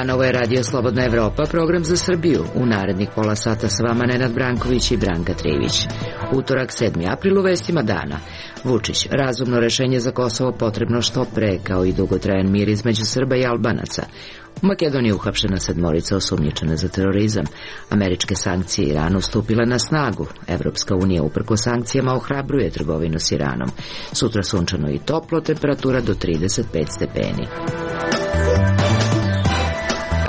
dan, ovo je Radio Slobodna Evropa, program za Srbiju. U narednih pola sata s vama Nenad Branković i Branka Trivić. Utorak, 7. april, u vestima dana. Vučić, razumno rešenje za Kosovo potrebno što pre, kao i dugotrajan mir između Srba i Albanaca. U Makedoniji je uhapšena 7 osumnjičena za terorizam. Američke sankcije Iranu stupile na snagu. Evropska unija uprkos sankcijama ohrabruje trgovinu s Iranom. Sutra sunčano i toplo, temperatura do 35 stepeni.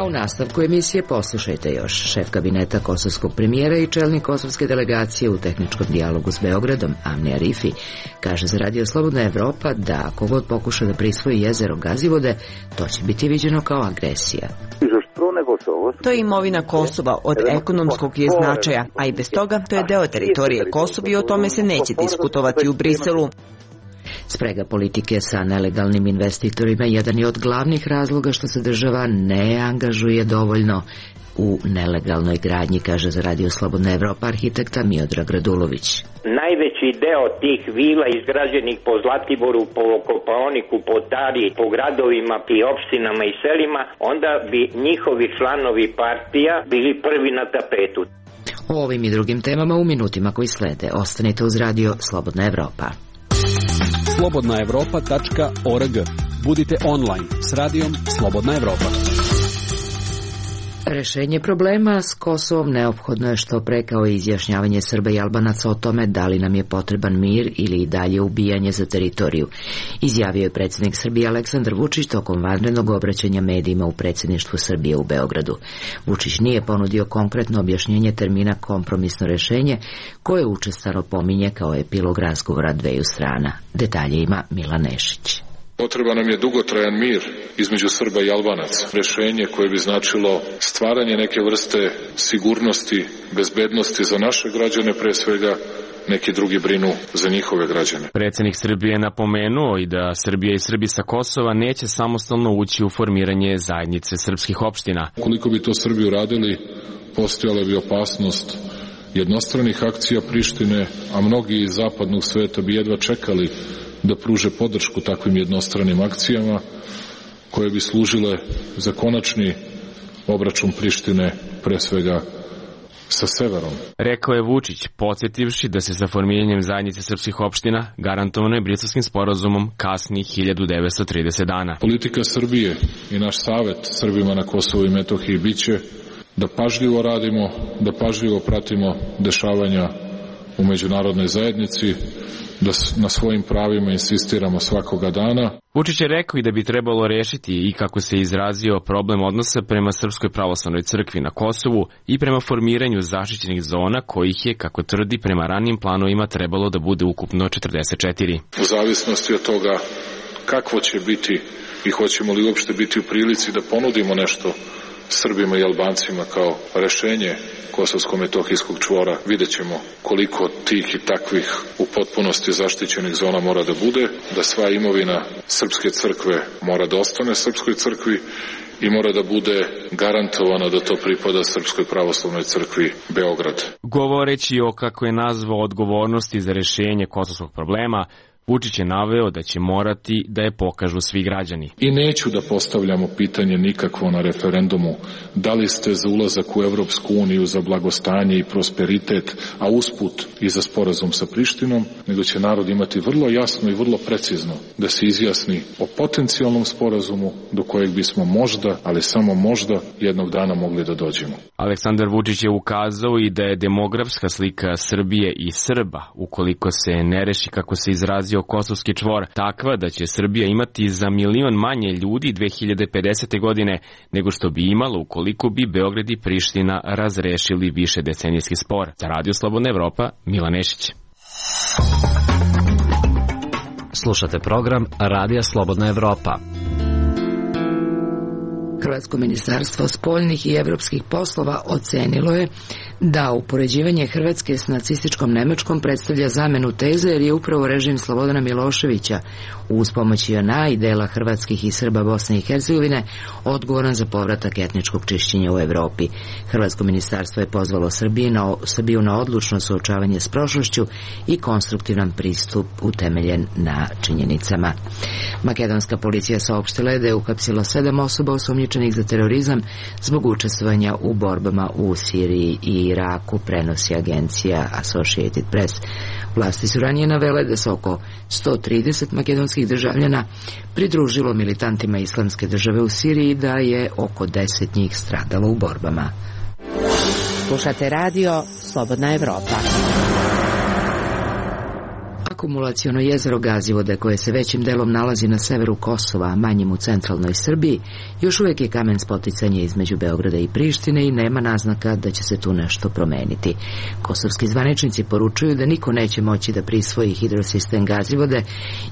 A u nastavku emisije poslušajte još. Šef kabineta kosovskog premijera i čelnik kosovske delegacije u tehničkom dijalogu s Beogradom, Amni Arifi, kaže za Radio Slobodna Evropa da ako god pokuša da prisvoji jezero Gazivode, to će biti viđeno kao agresija. To je imovina Kosova, od ekonomskog je značaja, a i bez toga to je deo teritorije Kosova i o tome se neće diskutovati u Briselu. Sprega politike sa nelegalnim investitorima jedan je od glavnih razloga što se država ne angažuje dovoljno u nelegalnoj gradnji, kaže za Radio Slobodna Evropa arhitekta Miodrag Radulović. Najveći deo tih vila izgrađenih po Zlatiboru, po Kopaoniku, po Tari, po gradovima i opštinama i selima, onda bi njihovi članovi partija bili prvi na tapetu. O ovim i drugim temama u minutima koji slede. Ostanite uz Radio Slobodna Evropa. slobodnaevropa.org. Budite online s radijom Slobodna Evropa. Rešenje problema s Kosovom neophodno je što pre, kao i izjašnjavanje Srba i Albanaca o tome da li nam je potreban mir ili i dalje ubijanje za teritoriju. Izjavio je predsjednik Srbije Aleksandar Vučić tokom vanrednog obraćanja medijima u predsjedništvu Srbije u Beogradu. Vučić nije ponudio konkretno objašnjenje termina kompromisno rešenje, koje učestalo pominje kao epilog razgovora dveju strana. Detalje ima Milan Nešić. Potreban nam je dugotrajan mir između Srba i Albanaca. Rešenje koje bi značilo stvaranje neke vrste sigurnosti, bezbednosti za naše građane, pre svega neki drugi brinu za njihove građane. Predsjednik Srbije je napomenuo i da Srbija i Srbi sa Kosova neće samostalno ući u formiranje zajednice srpskih opština. Koliko bi to Srbi uradili, postojala bi opasnost jednostranih akcija Prištine, a mnogi iz zapadnog sveta bi jedva čekali da pruže podršku takvim jednostranim akcijama koje bi služile za konačni obračun Prištine, pre svega sa severom. Rekao je Vučić, podsjetivši da se sa formiranjem zajednice srpskih opština garantovano je Briselskim sporazumom kasni 1930 dana. Politika Srbije i naš savet Srbima na Kosovu i Metohiji biće da pažljivo radimo, da pažljivo pratimo dešavanja u međunarodnoj zajednici, da na svojim pravima insistiramo svakoga dana. Vučić je rekao i da bi trebalo rešiti i, kako se izrazio, problem odnosa prema Srpskoj pravoslavnoj crkvi na Kosovu i prema formiranju zaštićenih zona, kojih je, kako tvrdi, prema ranijim planovima trebalo da bude ukupno 44. U zavisnosti od toga kakvo će biti i hoćemo li uopšte biti u prilici da ponudimo nešto Srbima i Albancima kao rešenje kosovsko-metohijskog čvora, vidjet ćemo koliko tih i takvih u potpunosti zaštićenih zona mora da bude, da sva imovina Srpske crkve mora da ostane Srpskoj crkvi i mora da bude garantovano da to pripada Srpskoj pravoslavnoj crkvi Beograd. Govoreći o, kako je nazvao, odgovornosti za rešenje kosovskog problema, Vučić je naveo da će morati da je pokažu svi građani. I neću da postavljamo pitanje nikakvo na referendumu da li ste za ulazak u Evropsku uniju, za blagostanje i prosperitet, a usput i za sporazum sa Prištinom, nego će narod imati vrlo jasno i vrlo precizno da se izjasni o potencijalnom sporazumu do kojeg bismo možda, ali samo možda, jednog dana mogli da dođemo. Aleksandar Vučić je ukazao i da je demografska slika Srbije i Srba, ukoliko se ne reši, kako se izrazio, kosovski čvor, takva da će Srbija imati za 1 milion manje ljudi 2050. godine nego što bi imala ukoliko bi Beograd i Priština razrešili više decenijski spor. Za Radio Slobodna Evropa, Milan Nešić. Slušate program Radija Slobodna Evropa. Hrvatsko ministarstvo spoljnih i evropskih poslova ocenilo je Da, upoređivanje Hrvatske s nacističkom Nemačkom predstavlja zamenu teze jer je upravo režim Slobodana Miloševića uz pomoć JNA i dela hrvatskih i Srba Bosne i Hercegovine odgovoran za povratak etničkog čišćenja u Evropi. Hrvatsko ministarstvo je pozvalo Srbiju na odlučno suočavanje s prošlošću i konstruktivan pristup utemeljen na činjenicama. Makedonska policija saopštila je da je uhapsila 7 osoba osumnjičenih za terorizam zbog učestvovanja u borbama u Siriji i Iraku, prenosi agencija Associated Press. Vlasti su ranije navele da se oko 130 makedonskih državljana pridružilo militantima Islamske države u Siriji i da je oko 10 njih stradalo u borbama. Slušate radio Slobodna Evropa. Akumulaciono jezero Gazivode, koje se većim delom nalazi na severu Kosova, a manjim u centralnoj Srbiji, još uvijek je kamen spoticanja između Beograda i Prištine i nema naznaka da će se tu nešto promeniti. Kosovski zvaničnici poručuju da niko neće moći da prisvoji hidrosistem Gazivode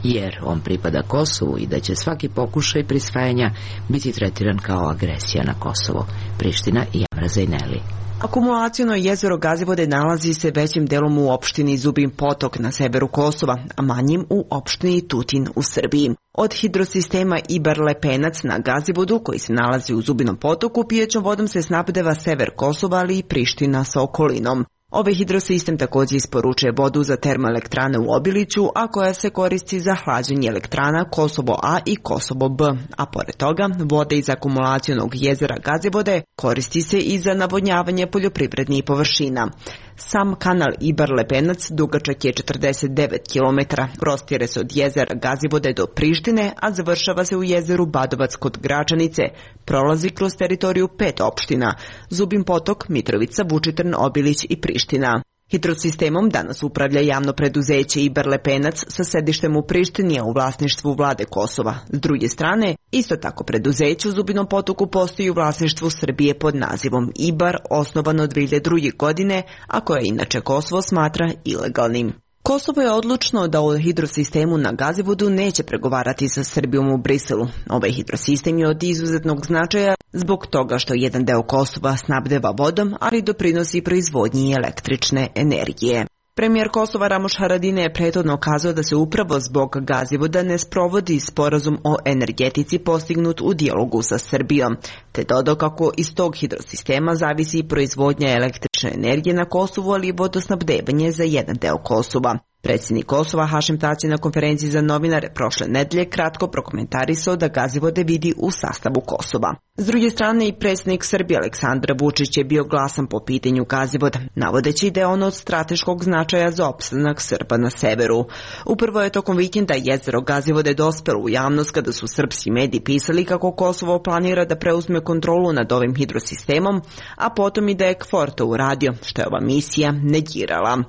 jer on pripada Kosovu i da će svaki pokušaj prisvajanja biti tretiran kao agresija na Kosovo. Priština i Amra Zejneli. Akumulaciono jezero Gazivode nalazi se većim delom u opštini Zubin Potok na severu Kosova, a manjim u opštini Tutin u Srbiji. Od hidrosistema Ibar-Lepenac na Gazivodu, koji se nalazi u Zubinom potoku, pijećom vodom se snabdeva sever Kosova, ali i Priština sa okolinom. Ovaj hidrosistem također isporučuje vodu za termoelektrane u Obiliću, a koja se koristi za hlađenje elektrana Kosovo A i Kosovo B, a pored toga voda iz akumulacionog jezera Gazivode koristi se i za navodnjavanje poljoprivrednih površina. Sam kanal Ibar-Lepenac dugačak je 49 km, prostire se od jezera Gazivode do Prištine, a završava se u jezeru Badovac kod Gračanice. Prolazi kroz teritoriju 5 opština: Zubin Potok, Mitrovica, Vučitrn, Obilić i Priština. Hidrosistemom danas upravlja javno preduzeće Ibar-Lepenac sa sedištem u Prištini, a u vlasništvu vlade Kosova. S druge strane, isto tako preduzeće u Zubinom potoku postoji u vlasništvu Srbije pod nazivom Ibar, osnovano 2002. godine, a koje inače Kosovo smatra ilegalnim. Kosovo je odlučno da o hidrosistemu na Gazivodu neće pregovarati sa Srbijom u Briselu. Ovaj hidrosistem je od izuzetnog značaja zbog toga što jedan deo Kosova snabdeva vodom, ali doprinosi proizvodnji električne energije. Premijer Kosova Ramuš Haradinaj je prethodno kazao da se upravo zbog Gazivoda ne sprovodi sporazum o energetici postignut u dijalogu sa Srbijom, te dodao kako iz tog hidrosistema zavisi i proizvodnja električne energije na Kosovu, ali i vodosnabdevanje za jedan deo Kosova. Predsjednik Kosova Hašim Tači na konferenciji za novinare prošle nedelje kratko prokomentarisao da Gazivode vidi u sastavu Kosova. S druge strane, i predsjednik Srbije Aleksandar Vučić je bio glasan po pitanju Gazivoda, navodeći da je ono od strateškog značaja za opstanak Srba na severu. Upravo je tokom vikenda jezero Gazivode dospelo u javnost kada su srpski mediji pisali kako Kosovo planira da preuzme kontrolu nad ovim hidrosistemom, a potom i da je KFOR to uradio, što je ova misija negirala.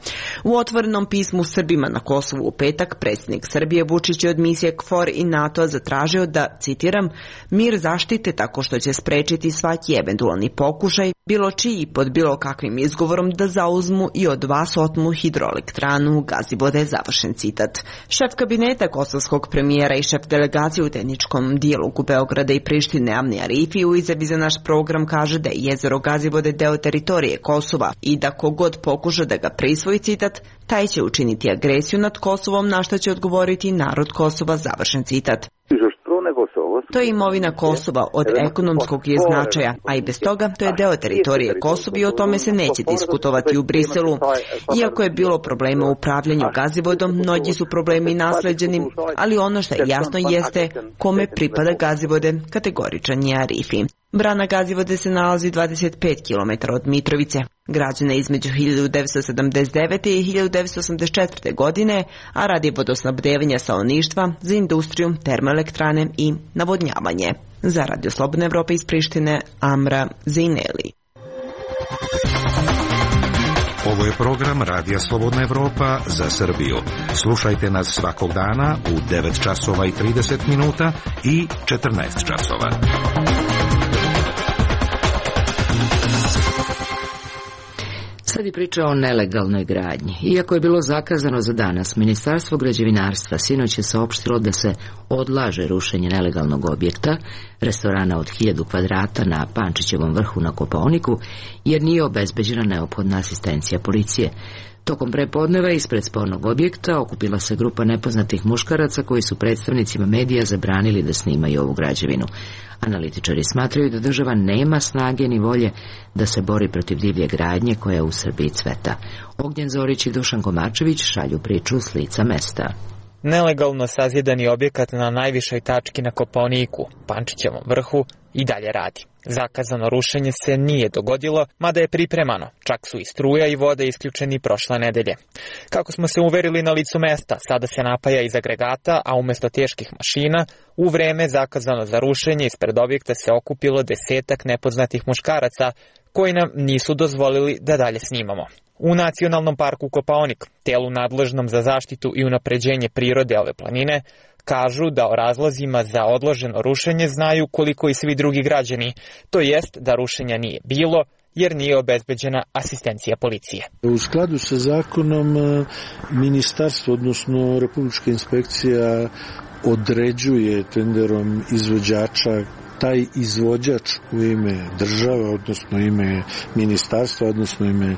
U otvorenom pismu Srbima na Kosovu u petak predsjednik Srbije Vučić je od misije KFOR i NATO zatražio da, citiram, mir zaštite tako što će sprečiti svaki eventualni pokušaj, bilo čiji pod bilo kakvim izgovorom da zauzmu i od vas otmu hidroelektranu Gazivode, završen citat. Šef kabineta kosovskog premijera i šef delegacije u tehničkom dijalogu Beograda i Prištine Amni Arifi u izjavi za naš program kaže da je jezero Gazivode deo teritorije Kosova i da kogod pokuša da ga prisvoji, citat, taj će učiniti agresiju nad Kosovom, na što će odgovoriti narod Kosova, završen citat. To je imovina Kosova, od ekonomskog je značaja, a i bez toga to je deo teritorije Kosova i o tome se neće diskutovati u Briselu. Iako je bilo problema u upravljanju Gazivodom, mnogi su problemi nasleđeni, ali ono što je jasno jeste kome pripada Gazivode, kategoričan je Arifi. Brana Gazivode se nalazi 25 km od Mitrovice. Građena između 1979. i 1984. godine, a radi vodosnabdevanja stanovništva za industriju, termoelektrane i navodnjavanje. Za Radio Slobodna Evropa iz Prištine, Amra Zejneli. Ovo je program Radija Slobodna Evropa za Srbiju. Slušajte nas svakog dana u 9 časova i 30 minuta i 14 časova. Sledi priča o nelegalnoj gradnji. Iako je bilo zakazano za danas, Ministarstvo građevinarstva sinoć je saopštilo da se odlaže rušenje nelegalnog objekta, restorana od 1000 kvadrata na Pančićevom vrhu na Kopaoniku, jer nije obezbeđena neophodna asistencija policije. Tokom prepodneva ispred spornog objekta okupila se grupa nepoznatih muškaraca koji su predstavnicima medija zabranili da snimaju ovu građevinu. Analitičari smatraju da država nema snage ni volje da se bori protiv divlje gradnje koja u Srbiji cveta. Ognjen Zorić i Dušan Komarčević šalju priču s lica mesta. Nelegalno sazidani objekat na najvišoj tački na Kopaoniku, Pančićevom vrhu, i dalje radi. Zakazano rušenje se nije dogodilo, mada je pripremano, čak su i struja i voda isključeni prošle nedelje. Kako smo se uverili na licu mesta, sada se napaja iz agregata, a umesto teških mašina, u vreme zakazano za rušenje ispred objekta se okupilo 10-ak nepoznatih muškaraca koji nam nisu dozvolili da dalje snimamo. U Nacionalnom parku Kopaonik, telu nadležnom za zaštitu i unapređenje prirode ove planine, kažu da o razlozima za odloženo rušenje znaju koliko i svi drugi građani, to jest da rušenja nije bilo jer nije obezbeđena asistencija policije. U skladu sa zakonom ministarstvo, odnosno Republička inspekcija određuje tenderom izvođača. Taj izvođač u ime države, odnosno ime ministarstva, odnosno ime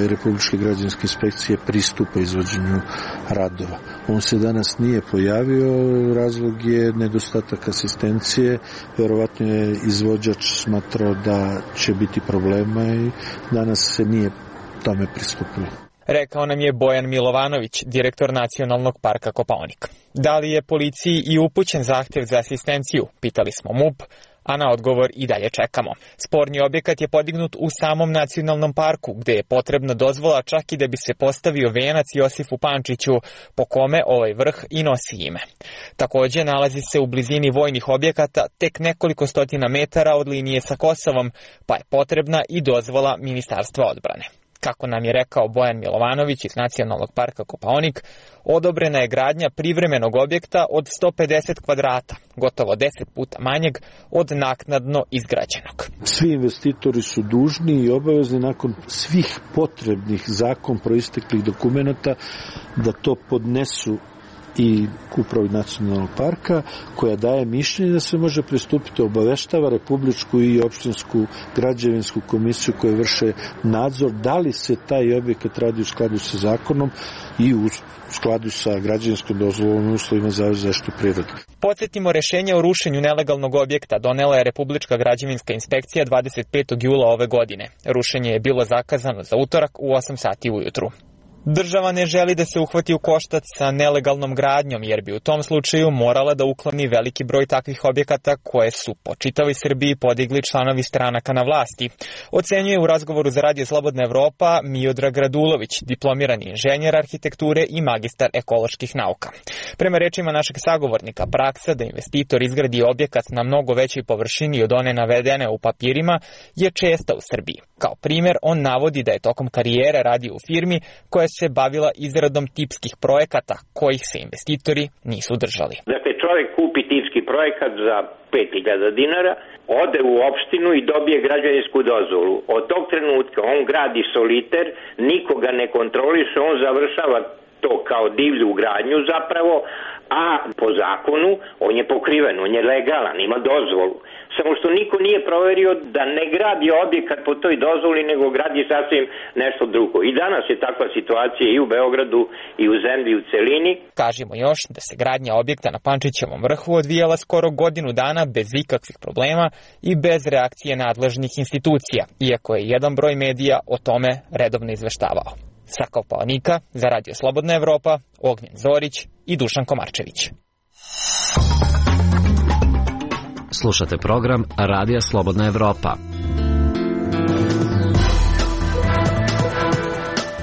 Republičke građevinske inspekcije pristupa izvođenju radova. On se danas nije pojavio, razlog je nedostatak asistencije, verovatno je izvođač smatrao da će biti problema i danas se nije tome pristupilo. Rekao nam je Bojan Milovanović, direktor Nacionalnog parka Kopaonik. Da li je policiji i upućen zahtev za asistenciju, pitali smo MUP, a na odgovor i dalje čekamo. Sporni objekat je podignut u samom Nacionalnom parku, gde je potrebna dozvola čak i da bi se postavio venac Josifu Pančiću, po kome ovaj vrh i nosi ime. Takođe, nalazi se u blizini vojnih objekata, tek nekoliko stotina metara od linije sa Kosovom, pa je potrebna i dozvola Ministarstva odbrane. Kako nam je rekao Bojan Milovanović iz Nacionalnog parka Kopaonik, odobrena je gradnja privremenog objekta od 150 kvadrata, gotovo 10 puta manjeg od naknadno izgrađenog. Svi investitori su dužni i obavezni nakon svih potrebnih zakon proisteklih dokumenata da to podnesu i upravi Nacionalnog parka, koja daje mišljenje da se može pristupiti, obaveštava Republičku i opštinsku građevinsku komisiju koje vrše nadzor da li se taj objekat radi u skladu sa zakonom i u skladu sa građevinskom dozvolom i uslovima za zaštitu prirode. Podsjetimo, rešenje o rušenju nelegalnog objekta donela je Republička građevinska inspekcija 25. jula ove godine. Rušenje je bilo zakazano za utorak u 8 sati ujutru. Država ne želi da se uhvati u koštac sa nelegalnom gradnjom, jer bi u tom slučaju morala da ukloni veliki broj takvih objekata koje su po čitavoj Srbiji podigli članovi stranaka na vlasti. Ocenjuje u razgovoru za Radio Slobodna Evropa Miodrag Radulović, diplomirani inženjer arhitekture i magistar ekoloških nauka. Prema rečima našeg sagovornika, praksa da investitor izgradi objekat na mnogo većoj površini od one navedene u papirima je česta u Srbiji. Kao primjer, on navodi da je tokom karijere radio u firmi koja se bavila izradom tipskih projekata kojih se investitori nisu držali. Dakle, čovjek kupi tipski projekat za 5.000 dinara, ode u opštinu i dobije građevinsku dozvolu. Od tog trenutka on gradi soliter, nikoga ne kontroliše, on završava to kao divlju gradnju zapravo, a po zakonu on je pokriven, on je legalan, ima dozvolu. Samo što niko nije proverio da ne gradi objekat po toj dozvoli, nego gradi sasvim nešto drugo. I danas je takva situacija i u Beogradu i u zemlji u celini. Kažemo još da se gradnja objekta na Pančićevom vrhu odvijala skoro godinu dana bez ikakvih problema i bez reakcije nadležnih institucija, iako je jedan broj medija o tome redovno izveštavao. Sa Kopaonika za Radio Slobodna Evropa, Ognjen Zorić i Dušan Komarčević. Slušate program Radija Slobodna Evropa.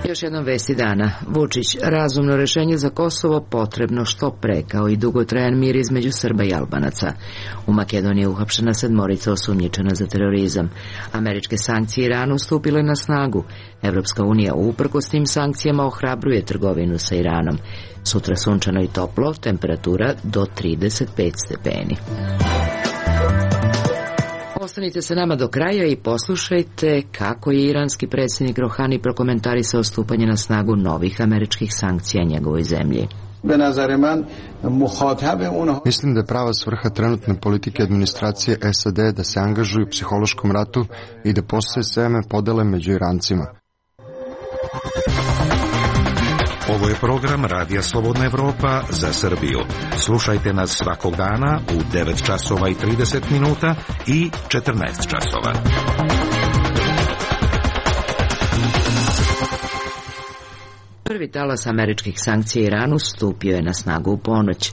Još jednom vesti dana. Vučić, razumno rešenje za Kosovo potrebno što pre, kao i dugotrajan mir između Srba i Albanaca. U Makedoniji je uhapšena 7 osumnjičena za terorizam. Američke sankcije Iranu stupile na snagu. Evropska unija uprkos tim sankcijama ohrabruje trgovinu sa Iranom. Sutra sunčano i toplo, temperatura do 35 stepeni. Ostanite sa nama do kraja i poslušajte kako je iranski predsjednik Rohani prokomentarisao stupanje na snagu novih američkih sankcija njegovoj zemlji. Mislim da je prava svrha trenutne politike administracije SAD da se angažuju u psihološkom ratu i da postaje seme podele među Irancima. Ovo je program Radija Slobodna Evropa za Srbiju. Slušajte nas svakog dana u 9 časova i 30 minuta i 14 časova. Prvi talas američkih sankcija Iranu stupio je na snagu u ponoć.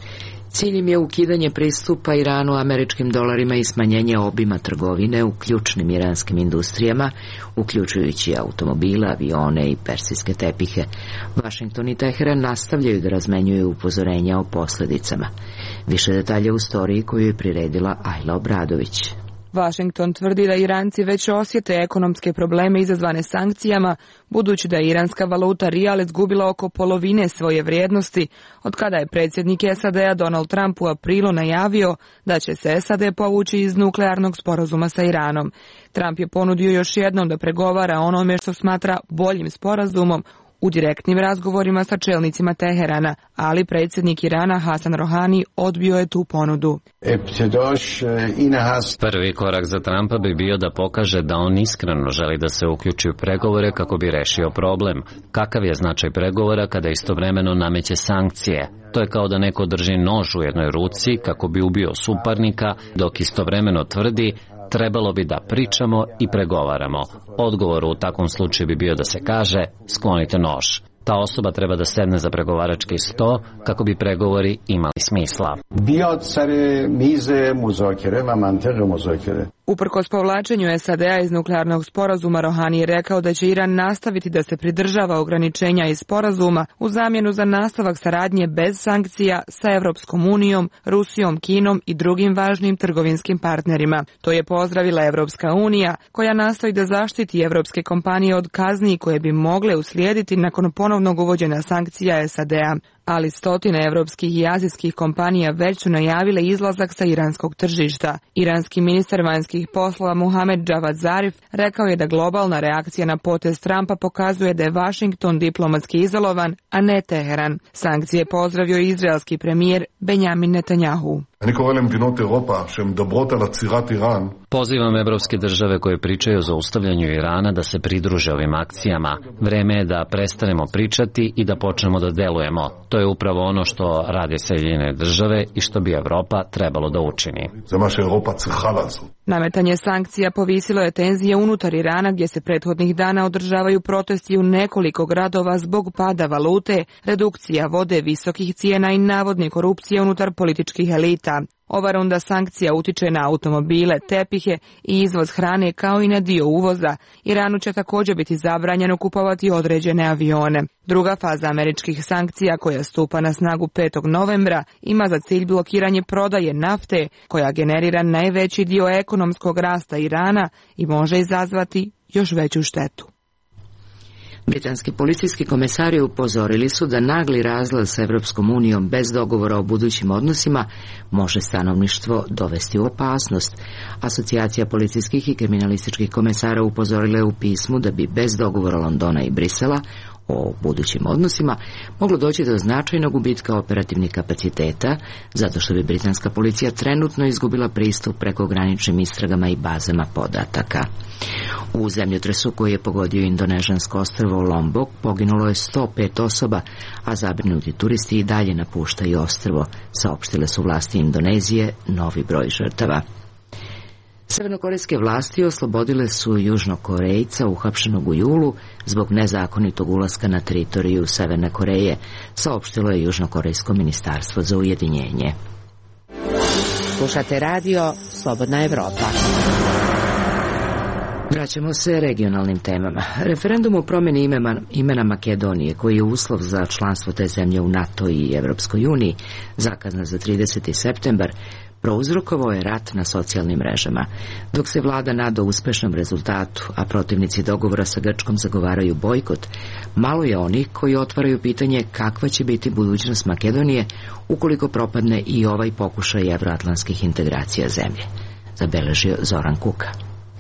Cilj im je ukidanje pristupa Iranu američkim dolarima i smanjenje obima trgovine u ključnim iranskim industrijama, uključujući automobile, avione i persijske tepihe. Vašington i Teheran nastavljaju da razmenjuju upozorenja o posljedicama. Više detalja u storiji koju je priredila Ajla Obradović. Washington tvrdi da Iranci već osjete ekonomske probleme izazvane sankcijama, budući da je iranska valuta rijal izgubila oko polovine svoje vrijednosti, od kada je predsjednik SAD-a Donald Trump u aprilu najavio da će se SAD povući iz nuklearnog sporazuma sa Iranom. Trump je ponudio još jednom da pregovara o onome što smatra boljim sporazumom u direktnim razgovorima sa čelnicima Teherana, ali predsjednik Irana Hasan Rohani odbio je tu ponudu. Prvi korak za Trumpa bi bio da pokaže da on iskreno želi da se uključi u pregovore kako bi rešio problem. Kakav je značaj pregovora kada istovremeno nameće sankcije? To je kao da neko drži nož u jednoj ruci kako bi ubio suparnika, dok istovremeno tvrdi trebalo bi da pričamo i pregovaramo. Odgovor u takvom slučaju bi bio da se kaže sklonite nož. Ta osoba treba da sedne za pregovarački sto kako bi pregovori imali smisla. Uprkos povlačenju SAD-a iz nuklearnog sporazuma, Rohani je rekao da će Iran nastaviti da se pridržava ograničenja iz sporazuma u zamjenu za nastavak saradnje bez sankcija sa Evropskom unijom, Rusijom, Kinom i drugim važnim trgovinskim partnerima. To je pozdravila Evropska unija, koja nastoji da zaštiti evropske kompanije od kazni koje bi mogle uslijediti nakon ponovnog uvođenja sankcija SAD-a. Ali stotine evropskih i azijskih kompanija već su najavile izlazak sa iranskog tržišta. Iranski ministar vanjskih poslova Mohamed Javad Zarif rekao je da globalna reakcija na potez Trumpa pokazuje da je Washington diplomatski izolovan, a ne Teheran. Sankcije pozdravio izraelski premijer Benjamin Netanjahu. Pozivam evropske države koje pričaju o zaustavljanju Irana da se pridruže ovim akcijama. Vreme je da prestanemo pričati i da počnemo da delujemo. To je upravo ono što rade Sjedinjene države i što bi Evropa trebalo da učini. Nametanje sankcija povisilo je tenzije unutar Irana, gdje se prethodnih dana održavaju protesti u nekoliko gradova zbog pada valute, redukcija vode, visokih cijena i navodne korupcije unutar političkih elita. Ova runda sankcija utiče na automobile, tepihe i izvoz hrane kao i na dio uvoza. Iranu će također biti zabranjeno kupovati određene avione. Druga faza američkih sankcija, koja stupa na snagu 5. novembra, ima za cilj blokiranje prodaje nafte, koja generira najveći dio ekonomskog rasta Irana i može izazvati još veću štetu. Britanski policijski komesari upozorili su da nagli razlaz s Evropskom unijom bez dogovora o budućim odnosima može stanovništvo dovesti u opasnost. Asocijacija policijskih i kriminalističkih komesara upozorila je u pismu da bi bez dogovora Londona i Brisela o budućim odnosima moglo doći do značajnog gubitka operativnih kapaciteta, zato što bi britanska policija trenutno izgubila pristup prekograničnim istragama i bazama podataka. U zemljotresu koji je pogodio indonežansko ostrvo Lombok poginulo je 105 osoba, a zabrinuti turisti i dalje napuštaju ostrvo, saopštile su vlasti Indonezije novi broj žrtava. Severnokorejske vlasti oslobodile su Južnokorejca uhapšenog u julu zbog nezakonitog ulaska na teritoriju Severne Koreje, saopštilo je Južnokorejsko ministarstvo za ujedinjenje. Slušate radio Slobodna Evropa. Vraćamo se regionalnim temama. Referendum o promjeni imena Makedonije, koji je uslov za članstvo te zemlje u NATO i Evropskoj uniji, zakazan za 30. septembar, prouzrokovao je rat na socijalnim mrežama. Dok se vlada nada uspešnom rezultatu, a protivnici dogovora sa Grčkom zagovaraju bojkot, malo je onih koji otvaraju pitanje kakva će biti budućnost Makedonije ukoliko propadne i ovaj pokušaj evroatlantskih integracija zemlje. zabeležio Zoran Kuka.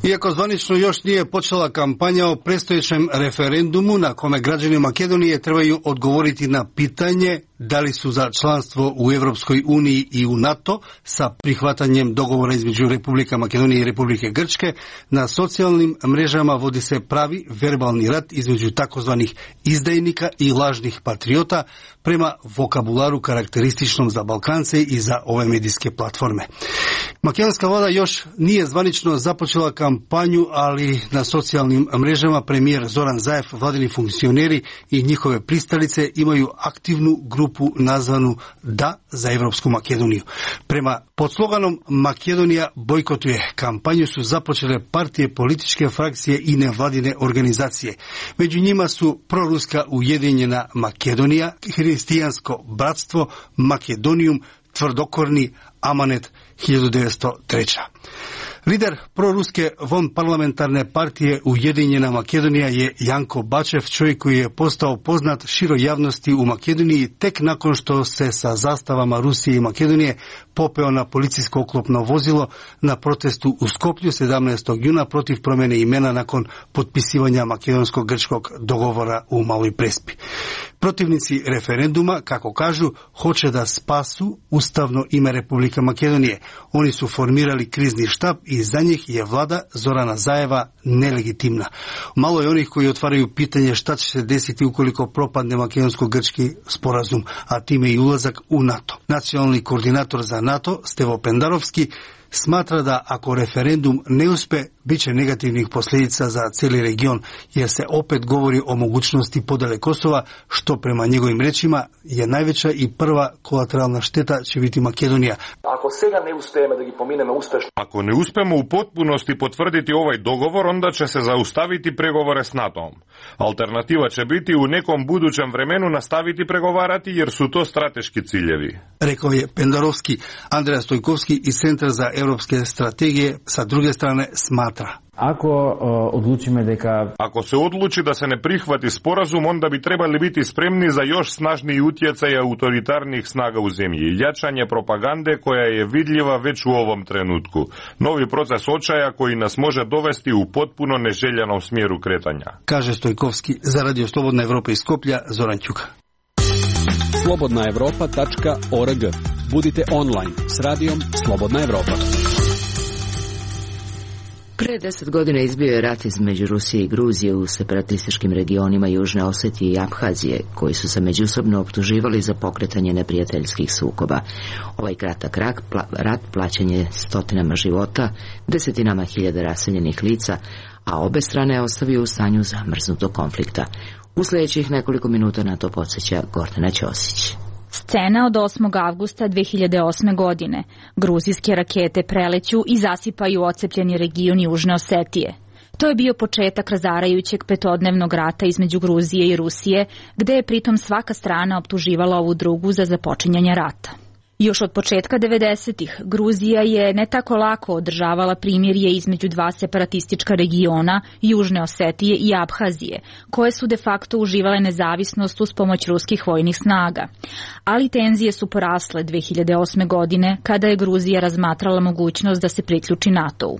Iako zvanično još nije počela kampanja o predstojećem referendumu na kome građani Makedonije trebaju odgovoriti na pitanje da li su za članstvo u Evropskoj uniji i u NATO sa prihvatanjem dogovora između Republika Makedonije i Republike Grčke, na socijalnim mrežama vodi se pravi verbalni rat između takozvanih izdajnika i lažnih patriota prema vokabularu karakterističnom za Balkance i za ove medijske platforme. Makedonska vlada još nije zvanično započela kampanju, ali na socijalnim mrežama premijer Zoran Zaev, vladini funkcioneri i njihove pristalice imaju aktivnu grupu nazvanu Da za Evropsku Makedoniju. Prema podsloganom Makedonija bojkotuje kampanju su započele partije, političke frakcije i nevladine organizacije. Među njima su proruska Ujedinjena Makedonija, Hristijansko bratstvo, Makedonijum, tvrdokorni Amanet 1903. Lider proruske vanparlamentarne partije Ujedinjena Makedonija je Janko Bačev, čovjek koji je postao poznat široj javnosti u Makedoniji tek nakon što se sa zastavama Rusije i Makedonije popeo na policijsko oklopno vozilo na protestu u Skoplju 17. juna protiv promjene imena nakon potpisivanja makedonsko-grčkog dogovora u Maloj Prespi. Protivnici referenduma, kako kažu, hoće da spasu ustavno ime Republika Makedonije. Oni su formirali krizni štab i za njih je vlada Zorana Zajeva nelegitimna. Malo je onih koji otvaraju pitanje šta će se desiti ukoliko propadne makedonsko-grčki sporazum, a time i ulazak u NATO. Nacionalni koordinator za NATO, Stevo Pendarovski, smatra da ako referendum ne uspe, bit će negativnih posljedica za cijeli region, jer se opet govori o mogućnosti podele Kosova, što prema njegovim rečima je najveća i prva kolateralna šteta će biti Makedonija. Ako ne uspemo u potpunosti potvrditi ovaj dogovor, onda će se zaustaviti pregovore s NATO-om. Alternativa će biti u nekom budućem vremenu nastaviti pregovarati, jer su to strateški ciljevi. Rekao je Pendarovski. Andreja Stojkovski iz Centra za europske strategije sa druge strane smatra. Ako se odluči da se ne prihvati sporazum, onda bi trebali biti spremni za još snažniji utjecaj autoritarnih snaga u zemlji i jačanje propagande koja je vidljiva već u ovom trenutku. Novi proces očaja koji nas može dovesti u potpuno neželjenom smjeru kretanja. Kaže Stojkovski za Radio Slobodna Evropa iz Skoplja, Zoran Ćuka. slobodnaevropa.org. Budite online s radijom Slobodna Evropa. Pre 10 godina izbio je rat između Rusije i Gruzije u separatističkim regionima Južne Osetije i Abhazije, koji su se međusobno optuživali za pokretanje neprijateljskih sukoba. Ovaj kratak rat plaćen je stotinama života, desetinama hiljada raseljenih lica, a obe strane ostavio u stanju zamrznutog konflikta. U sljedećih nekoliko minuta na to podsjeća Gordana Ćosić. Scena od 8. avgusta 2008. godine. Gruzijske rakete preleću i zasipaju ocepljeni region Južne Osetije. To je bio početak razarajućeg petodnevnog rata između Gruzije i Rusije, gde je pritom svaka strana optuživala ovu drugu za započinjanje rata. Još od početka 90-ih Gruzija je ne tako lako održavala primirje između dva separatistička regiona, Južne Osetije i Abhazije, koje su de facto uživale nezavisnost uz pomoć ruskih vojnih snaga. Ali tenzije su porasle 2008. godine kada je Gruzija razmatrala mogućnost da se priključi NATO-u.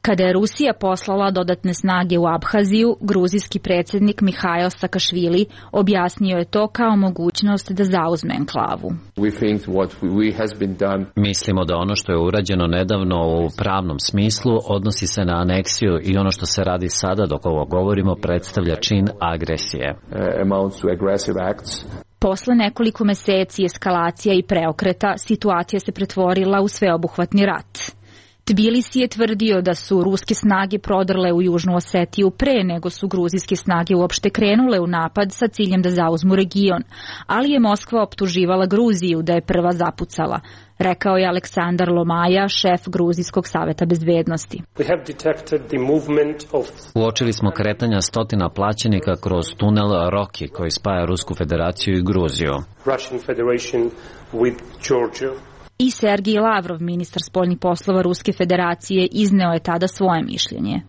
Kada je Rusija poslala dodatne snage u Abhaziju, gruzijski predsjednik Mihail Sakašvili objasnio je to kao mogućnost da zauzme enklavu. Mislimo da ono što je urađeno nedavno u pravnom smislu odnosi se na aneksiju i ono što se radi sada dok ovo govorimo predstavlja čin agresije. Posle nekoliko meseci eskalacija i preokreta, situacija se pretvorila u sveobuhvatni rat. Tbilisi je tvrdio da su ruske snage prodrle u Južnu Osetiju pre nego su gruzijske snage uopšte krenule u napad sa ciljem da zauzmu region, ali je Moskva optuživala Gruziju da je prva zapucala, rekao je Aleksandar Lomaja, šef Gruzijskog saveta bezbednosti. Uočili smo kretanja stotina plaćenika kroz tunel Roki koji spaja Rusku federaciju i Gruziju. I Sergij Lavrov, ministar spoljnih poslova Ruske federacije, izneo je tada svoje mišljenje.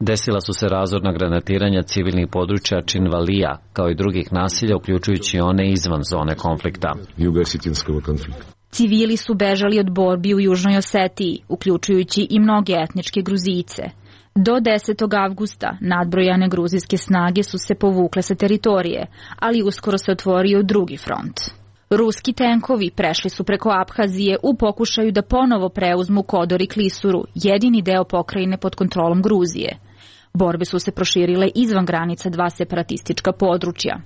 Desila su se razorna granatiranja civilnih područja Činvalija, kao i drugih nasilja, uključujući one izvan zone konflikta. Civili su bežali od borbi u Južnoj Osetiji, uključujući i mnoge etničke Gruzijice. Do 10. avgusta nadbrojane gruzijske snage su se povukle sa teritorije, ali uskoro se otvorio drugi front. Ruski tenkovi prešli su preko Abhazije u pokušaju da ponovo preuzmu Kodor i Klisuru, jedini deo pokrajine pod kontrolom Gruzije. Borbe su se proširile izvan granica dva separatistička područja.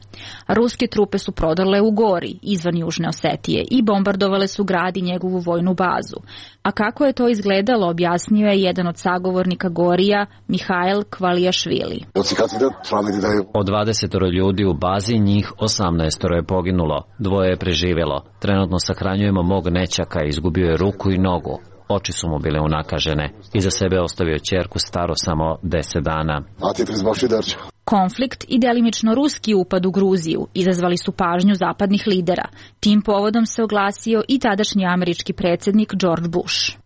Ruske trupe su prodrle u Gori, izvan Južne Osetije, i bombardovale su grad i njegovu vojnu bazu. A kako je to izgledalo, objasnio je jedan od sagovornika Gorija, Mihail Kvalijašvili. Od 20 ljudi u bazi, njih 18 je poginulo, 2 je preživjelo. Trenutno sahranjujemo mog nećaka, izgubio je ruku i nogu. Oči su mu bile unakažene. Iza sebe ostavio ćerku staru samo 10 dana. Konflikt i delimično ruski upad u Gruziju izazvali su pažnju zapadnih lidera. Tim povodom se oglasio i tadašnji američki predsjednik George Bush.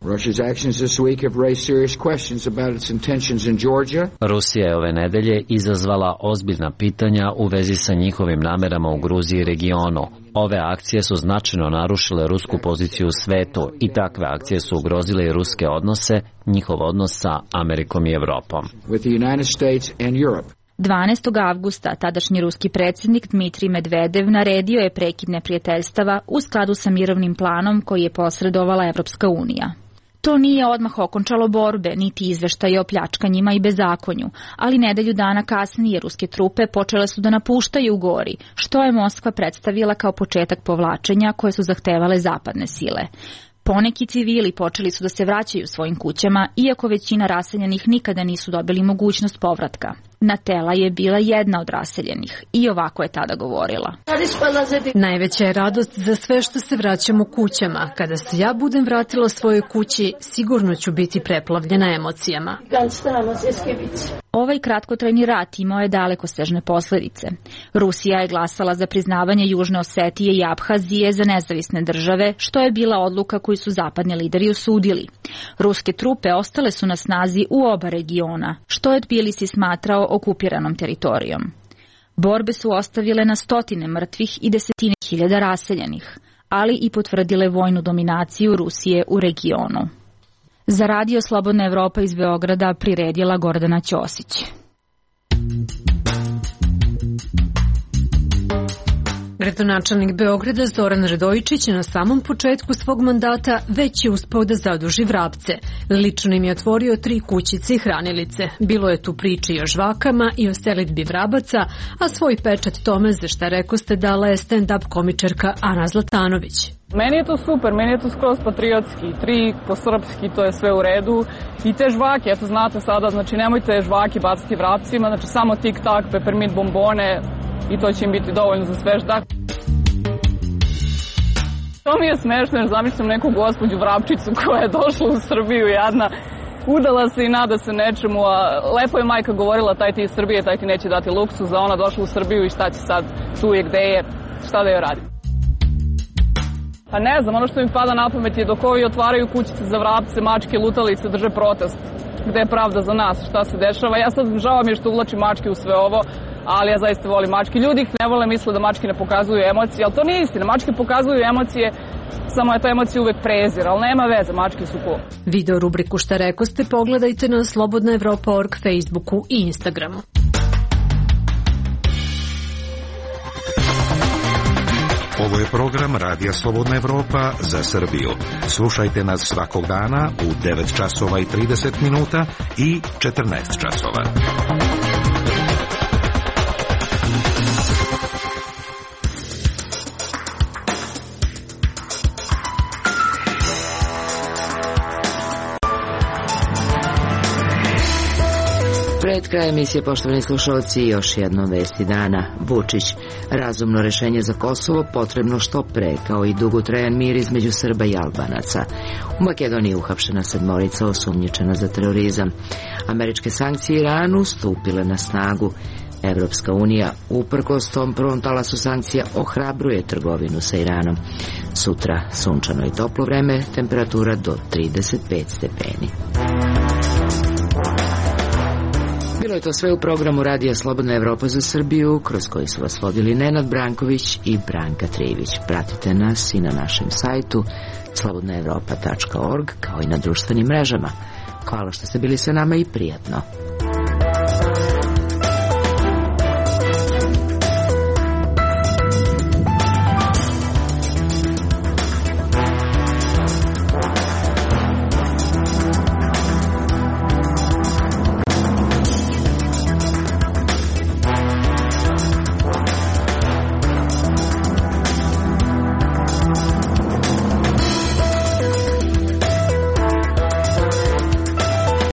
Rusija je ove nedelje izazvala ozbiljna pitanja u vezi sa njihovim namerama u Gruziji i regionu. Ove akcije su značajno narušile rusku poziciju u svetu i takve akcije su ugrozile i ruske odnose, njihov odnos sa Amerikom i Evropom. 12. avgusta tadašnji ruski predsjednik Dmitrij Medvedev naredio je prekid neprijateljstava u skladu sa mirovnim planom koji je posredovala Evropska unija. To nije odmah okončalo borbe, niti izveštaje o pljačkanjima i bezakonju, ali nedelju dana kasnije ruske trupe počele su da napuštaju Gori, što je Moskva predstavila kao početak povlačenja koje su zahtevale zapadne sile. Poneki civili počeli su da se vraćaju svojim kućama, iako većina raseljenih nikada nisu dobili mogućnost povratka. Natela je bila jedna od raseljenih i ovako je tada govorila. Najveća je radost za sve što se vraćamo kućama. Kada se ja budem vratila svojoj kući, sigurno ću biti preplavljena emocijama. Ovaj kratkotrajni rat imao je dalekosežne posljedice. Rusija je glasala za priznavanje Južne Osetije i Abhazije za nezavisne države, što je bila odluka koju su zapadni lideri osudili. Ruske trupe ostale su na snazi u oba regiona, što je Tbilisi smatrao okupiranom teritorijom. Borbe su ostavile na stotine mrtvih i desetine hiljada raseljenih, ali i potvrdile vojnu dominaciju Rusije u regionu. Za Radio Slobodna Evropa iz Beograda priredila Gordana Ćosić. Gradonačelnik Beograda Zoran Radojičić na samom početku svog mandata već je uspeo da zaduži Vrapce. Lično im je otvorio 3 kućice i hranilice. Bilo je tu priče i o žvakama i o selidbi Vrabaca, a svoj pečat tome za šta rekoste dala je stand-up komičarka Ana Zlatanović. Meni je to super, meni je to skroz patriotski, 3 po srpski, to je sve u redu. I te žvake, eto znate sada, znači nemojte žvake baciti Vrapcima, znači samo tik-tak, peppermint bombone, i to će im biti dovoljno za svež dak. To mi je smešno jer zamišljam neku gospođu Vrapčicu koja je došla u Srbiju jadna, udala se i nada se nečemu, a lepo je majka govorila taj ti iz Srbije, taj ti neće dati luksuz, a ona došla u Srbiju i šta će sad, tu je gde je, šta da joj radi. Pa ne znam, ono što mi pada na pamet je dok ovi otvaraju kućice za vrapce, mačke, lutalice, drže protest. Gde je pravda za nas, šta se dešava. Ja sad žao mi je što uvlačim mačke u sve ovo, ali ja zaista volim mačke. Ljudi ih ne vole, misle da mačke ne pokazuju emocije, ali to nije istina. Mačke pokazuju emocije, samo je ta emocija uvek prezir, ali nema veze, mačke su cool. Video rubriku Šta rekoste pogledajte na slobodnaevropa.org, Facebooku i Instagramu. Ovo je program Radija Slobodna Evropa za Srbiju. Slušajte nas svakog dana u 9 časova i 30 minuta i 14 časova. Pred kraj emisije, poštovani slušalci, još jedno vesti dana. Vučić, razumno rešenje za Kosovo potrebno što pre, kao i dugotrajan mir između Srba i Albanaca. U Makedoniji uhapšena 7 osumnjičena za terorizam. Američke sankcije Iranu stupile na snagu. Evropska unija, uprkos tom prvom talasu sankcija, ohrabruje trgovinu sa Iranom. Sutra sunčano i toplo vreme, temperatura do 35 stepeni. Bilo je to sve u programu Radija Slobodna Evropa za Srbiju, kroz koji su vas vodili Nenad Branković i Branka Trivić. Pratite nas i na našem sajtu slobodnaevropa.org, kao i na društvenim mrežama. Hvala što ste bili sa nama i prijatno.